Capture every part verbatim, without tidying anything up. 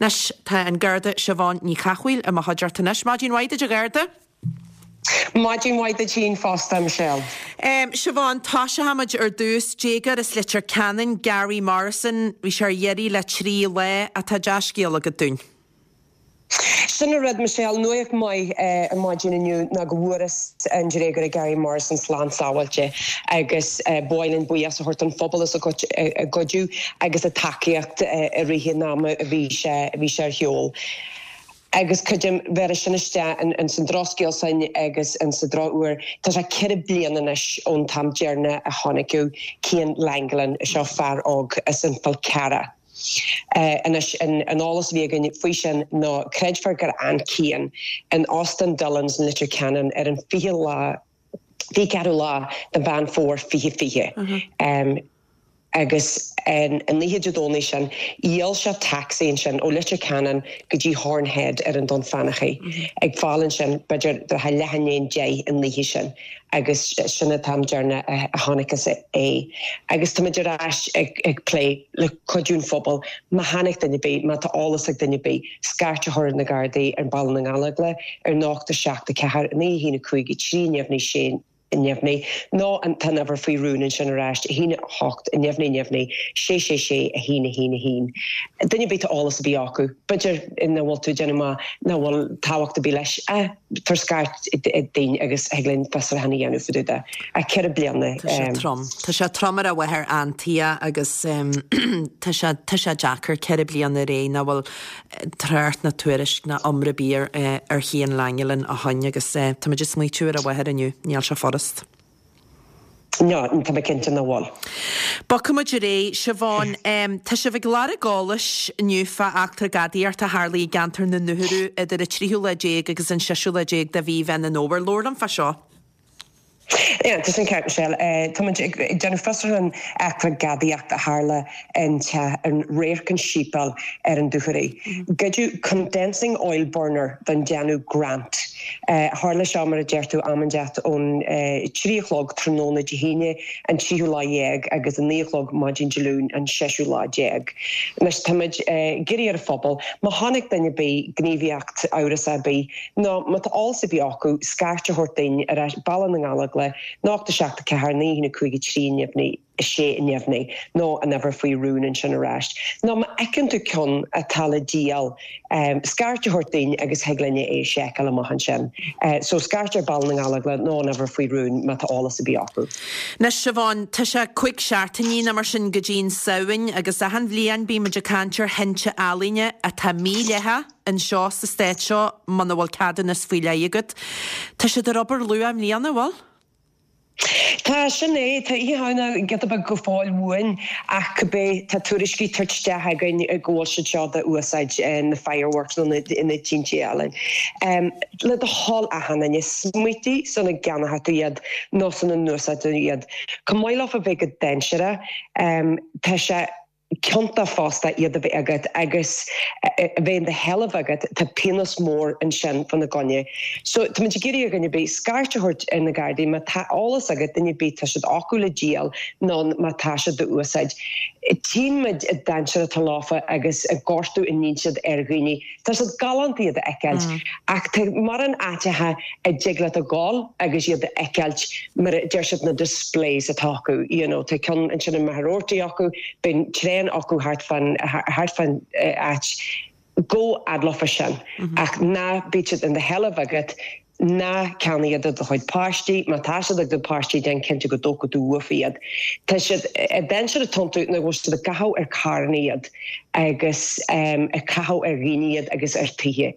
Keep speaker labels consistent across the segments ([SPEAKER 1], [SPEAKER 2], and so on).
[SPEAKER 1] Anois tá an Garda Siobhán Ní Chathmhaoil i mo chuideachta anois. Maidin mhaith duit a Gharda.
[SPEAKER 2] Maidin mhaith duit féin fosta Michelle.
[SPEAKER 1] Um, Siobhán tosóimid ar dtús déagóir as Leitir Ceanainn Gary Morrison, bhí sé ar iarraidh le trí lá atá dea-scéal agat dúinn.
[SPEAKER 2] Sin an rud Michelle nuacht mhaith eh, ar maidin inniu ná go bhfuarthas an déagóir Gary Morrison slán sábháilte agus eh, b'áil buíochas a thabhairt don phobal as a gcuidiú agus a tacaíocht eh, i rith an ama a bhí sé bhí sé ar shiúl. Agus cuidim vera sin isteach in san drochscéal sin agus in sa drochuair Tá sé ceithre bliana anois ón t-am deireanach a chonaiceadh Cian Langelan seo fear óg as an Fhál Carrach. Uh, anois an, an eolas a bhí againn faoi sin ná creidfear gur fhan Cian in Óstán Dillon's in Leitir Ceanainn ar an fiche lá fiche ceathrú lá de Mheán Fómhair fiche fiche. Uh -huh. um, agus an an oíche Dé Domhnaigh sin dhíol sé taxi ansin ó Leitir Ceanainn go dtí Horn Head ar an Dún Fionnachaidh. Mm -hmm. ag fáil ansin b'fhéidir do leath i ndiaidh deich an oíche sin agus sin an t-am deireanach a chonacthas é. Agus tá ar ais ag, ag plé le cuidiú an phobal má chonaic duine ar bith má tá eolas ag duine ar bith scairt a chur ar na Gardaí ar Bhaile na nGallóglach ar nácht a seacht a ceathair naoi haon cúig trí neamhní sé neamhní nó an tá uimhir faoi rún ansin arís haon hocht neamhní neamhní sé sé sé a haon haon haon. Duine ar bith eolas a bhí acu, B'fhéidir nach bhfuil tú déanamh nach bhfuil tábhacht ar bith leis tabhair scairt dúinn agus thig linn fiosrúchán a dhéanamh fá dtaobh de a ceithre bliana.
[SPEAKER 1] Tá trom. Tá sé trom ar a mháthair Antia agus tá sé tá sé deacair ceithre bliana ré nach bhfuil trácht ná tuairisc ná iomrá ar bith ar Chian Langelan ó shin agus tá muid ag smaoitiú ar a mháthair inniu, níl sé furast.
[SPEAKER 2] No, tá mé cinnte nach bhfuil.
[SPEAKER 1] Bogfaimid ar aghaidh Siobhán Tá sibh ag lorg eolais inniu fá eachtra gadaíochta a tharla i gceantar na nDúchoradh idir an tríú lá déag agus an seisiú lá déag de mhí Mheán an Fhómhair. Labhair liom fá seo.
[SPEAKER 2] Ja, tá sin ceart Michelle. Tá déanamh fiosrúchán eachtra gadaíocht a tharla in an Radharc an Séipéal ar an Dúchoraidh. Goideadh condensing oil burner den déanamh Grant. Tharla seo mar a deir tú am inteacht ón trí a chlog tráthnóna Dé hAoine an tríú lá dhéag agus an naoi a chlog maidin Dé Luain an seisiú lá déag. Anois táimid ag iarraidh ar an phobal, má chonaic duine ar bith gníomhaíocht amhrasach ar bith, nó má tá eolas ar bith acu scairt a thabhairt dúinn ar Baile na nGallóglach nácht a seacht a ceathair naoi cúig trí neamhní sé neamhní nó an uimhir faoi rún ansin arís. Nó má fheiceann tú ceann atá le díol um, scairt a thabhairt dúinn agus thig linne é seiceáil amach ansin. Uh, so scairt ar Baile na nGallóglach nó an uimhir faoi rún má tá eolas ar bith acu.
[SPEAKER 1] Anois Siobhán tá sé cúig seachtainí nó mar sin go dtí'n Samhain agus achan bhliain bímid ag caint ar thinte ealaíne atá mídhleathach anseo sa stát seo muna bhfuil ceadúnas faoi leith agat. Tá siad ar obair luath i mbliana bhfuil?
[SPEAKER 2] Tá sin é tá Oíche Shamhna giota beag go fóill uainn ach cibé tá tuairiscí ag teacht isteach againn go bhfuil siad seo d'úsáid na fireworks nó na tinte ealaíne. Um, le do thoil achan duine smaointigh sula gceannóidh tú iad nó sula n-úsáideann tú iad. Chomh maith leofa bheith go dainséarach, um, tá sé ciontach fosta iad a bheith agat agus a bheith in do sheilbh agat tá pionós mór ansin fána gcoinne. So tá muid ag iarraidh ar dhuine ar bith scairt a thabhairt ar na Gardaí má tá eolas agat duine ar bith tá siad acu le díol nó má tá siad d'úsáid. Tchíonn muid an dainséar atá leofa agus an gortú a ndéanann siad ar dhaoine. Tá siad galánta iad a fheiceáilt mm. ach tá mórán áiteacha a dtig leat a ghabháil agus iad a fheiceáilt mar deir siad na displays atá acu. You know, tá ceann ansin i Magheraroarty acu, bíonn tréan acu thart fán thart fán áit go adlofa sin mm -hmm. ach ná bíodh siad in do sheilbh agat ná ceannaigh iad do do chuid páistí, má tá siad ag do páistí déan cinnte go dtógfaidh tú uafa iad. Tá siad dainséar atá iontu nó bhfuil siad ag caitheamh ar carranna iad agus um, ag caitheamh ar dhaoine iad agus ar tithe.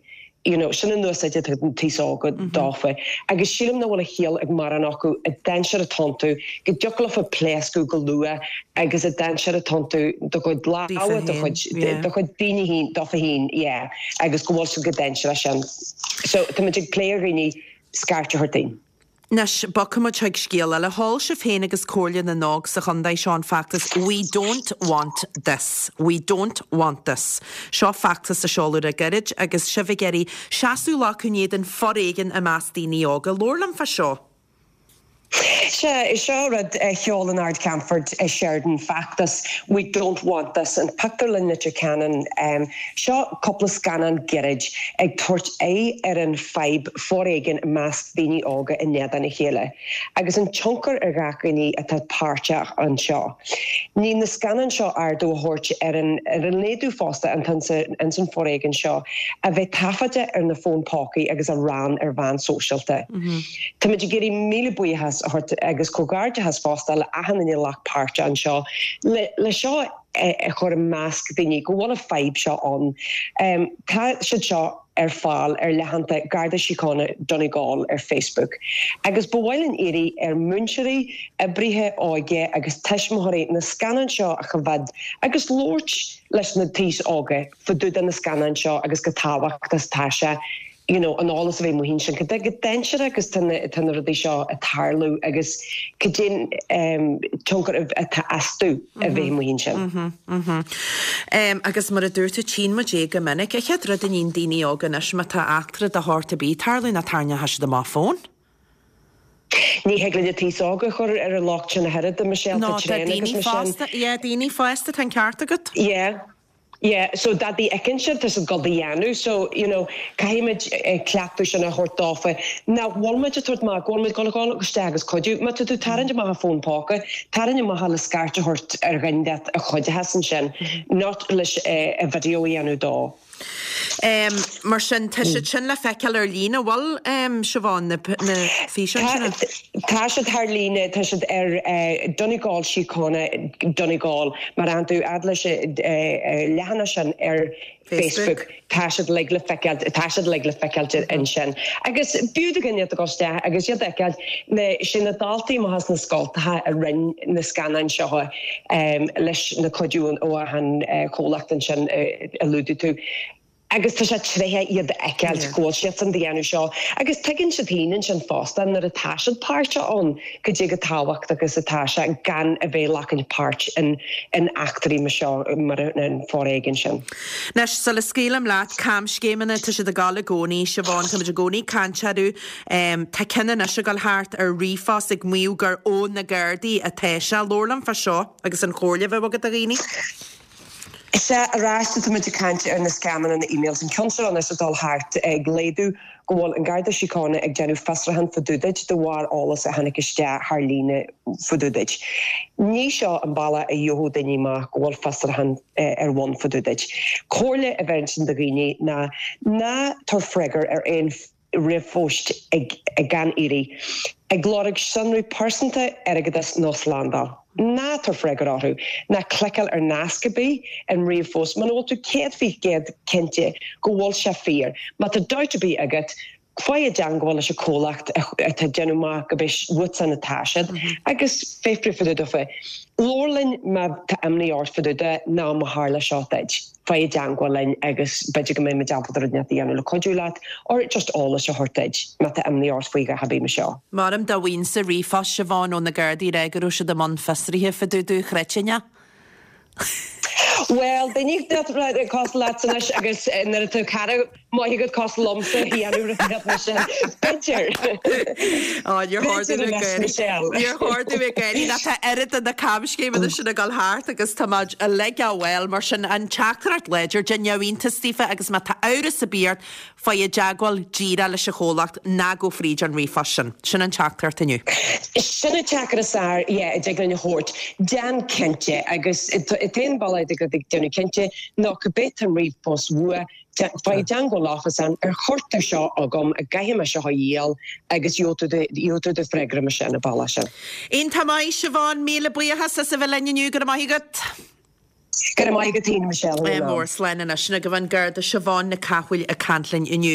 [SPEAKER 2] You know, sin an úsáid an t-aos óg dófa. Agus sílim nach bhfuil a chiall ag mórán acu an dainséar atá iontu go dtiocfadh leofa pléascadh go luath agus an dainséar atá iontu do chuid lámha do chuid do chuid daoine féin dófa féin yeah, agus go bhfuil siad go dainséarach sin. So tá muid ag plé ar dhaoine scairt a thabhairt dúinn.
[SPEAKER 1] Anois bogfaimid chuig scéal eile sheol sibh féin agus Comhairle na nÓg sa chontae seo an feachtas We don't want this. We don't want this. Seo feachtas a seoladh le gairid agus sibh ag iarraidh seasamh le in éadan foréigean i measc daoine óga. Labhair liom fá seo.
[SPEAKER 2] Sea, seo rud a sheol an Ard-Cheannfort Sheridan feachtas We don't want this an Pictiúrlann Leitir Ceanainn um, seo cúpla scannán gairid ag tabhairt aghaidh ar an fadhb foréigin i measc daoine óga in éadan a chéile, agus an tionchar ar gach duine atá páirteach anseo. Ní na scannáin seo ardú a thabhairt ar an ar an léadú fosta an an san foréigean seo a bheith taifeadta ar na fón pócaí agus a roinnt ar mheán sóisialta. Mm -hmm. Tá ag iarraidh míle buíochas a thabhairt agus comhghairdeachas fosta le achan duine a ghlac páirt anseo le, le seo a chur i measc daoine go bhfuil an fadhb seo ann. Um, tá siad seo ar fáil ar leathanach Garda Síochána Donegal ar Facebook. Agus ba mhaith linn iarraidh ar mhúinteoirí, oibrithe óige agus tuismitheoirí na scannáin seo a choimhéad agus labhairt leis na taois óga fá dtaobh de na scannáin seo agus go tábhachtach tá sé you know, an eolas a bheith amuigh ansin cad go dainséarach agus tá na rudaí seo ag tarlú agus cad é um, tionchar atá astu a bheith amuigh ansin.
[SPEAKER 1] Mm -hmm, um, agus mar a dúirt tú tchíonn muid é go minic a chéad rud a níonn daoine óga anois má tá eachtra de shórt ar bith ag tarlú ná tarraingeoidh siad amach fón.
[SPEAKER 2] Ní hé le tí óga chur ar an locht sin a head de Michelle
[SPEAKER 1] No, tá daoine fásta, yeah, daoine fásta tá an ceart agat?
[SPEAKER 2] Yeah. Yeah, so dat bí eicean siad tá go dhéanú, so you know, caithfimid cleachtadh sin a thabhairt dófa. Ná bhfuilmuid a thabhairt amach bhfuilmuid go gáil isteach agus cuidiú, má tá tú tarraingt amach a fón póca, tarraing amach le scairt a thabhairt ar dhuine a chuideochas ansin, not leis a video a dhéanamh dó.
[SPEAKER 1] Um, mar sin tá siad sin le feiceáil ar líne bhfuil um, Siobhán na, na físeáin sin?
[SPEAKER 2] Tá siad ar líne tá siad ar uh, Donegal Síochána Donegal mar an tú adleis uh, uh, leathanach sin ar Facebook, tá siad le le feiceáil tá siad le le feiceáil ansin. Agus b'fhiú do dhuine a ghabháil agus iad a fheiceáil na sin na daltaí amach as na scoltacha a rinne na scannáin seo um, leis na cuidiú ó an uh, chomhlacht ansin uh, a luaigh tú. Agus tá sé tréithe iad fheiceáil go bhfuil siad san déanamh seo, agus tuigeann siad féin ansin fosta nuair atá siad páirteach ann go dtí go tábhacht agus atá sé gan a bheith glacann páirt in in eachtraí mar seo mar an foréigean sin.
[SPEAKER 1] Anois sula scaoilim leat camscéimeanna tá siad ag gabháil i gcónaí Siobhán tá i gcónaí caintearú Tá ceann anois ag gabháil thart ar ríomhphost ag maíomh gur ó na Gardaí atá sé labhair liom fá seo agus an chomhairle a bheadh agat do dhaoine.
[SPEAKER 2] Is é arís tá muid ag caint ar na scamanna na emails an ceann seo anois ag dul thart ag léadú go bhfuil an Garda Síochána ag déanamh fiosrúchán fá dtaobh duit de bharr eolas a tháinig isteach thar líne fá dtaobh duit. Ní seo an bealach a gheobhaidh daoine amach go bhfuil fiosrúchán ar bun fá dtaobh duit. Comhairle a bheith sin do dhaoine ná ná tabhair freagra ar aon ríomhphost ag, ag gan iarraidh. Ag lorg sonraí pearsanta airgeadas nó slándáil. Ná tabhair freagra orthu, ná cliceáil ar nasc ar bith an ríomhphost, muna bhfuil tú céad faoin gcéad cinnte go bhfuil sé fíor. Má tá dabht ar bith agat, faigh i dteagmháil leis an chomhlacht atá déanamh amach go bis uatsan atá siad agus fiafraigh fá dtaobh dófa. Labhair linn má tá imní ort fá dtaobh de ná má tharla seo duit. Faigh i dteagmháil linn agus b'fhéidir go mbeidh muid ábalta rud inteacht a dhéanamh le cuidiú leat or just eolas a thabhairt duit má tá imní ort faoi a bhí seo.
[SPEAKER 1] Maram dá bhfuil sa ríomhphost Siobhán ó na Gardaí rá go raibh siad i mbun fiosraithe fá dtaobh duit chreidfinn.
[SPEAKER 2] Well, daoine cosúil leat anois agus nuair atá cara maith agat cosúil liomsa dhéanamh sin. B'fhéidir.
[SPEAKER 1] Níor chóir géirí tá oiread de na camscéimeanna sin ag gabháil thart agus tá uilig á bhfuil mar sin an teachtaireacht láidir de neamhiontas daofa agus má tá amhras ar bith ort faigh i dteagmháil díreach leis an chomhlacht ná gabh fríd an ríomhphost sin. Sin an teachtaireacht inniu.
[SPEAKER 2] Sin an teachtaireacht is fearr a dtig linn a thabhairt déan cinnte agus an bealach ag déanamh cinnte ná cibé an ríomhphost uait faigh i dteagmháil leofa an ar chuir tú seo agam a gcaithfidh mé seo a dhíol agus gheobhaidh tú do freagra mar sin an bealach sin.
[SPEAKER 1] Iontach maith Siobhán míle buíochas as a bheith linn inniu go raibh maith agat.
[SPEAKER 2] Go raibh maith agat Michelle.
[SPEAKER 1] Mór slán anois na go bhfuil Garda Siobhán Nic Cathmhaoil ag caint linn inniu.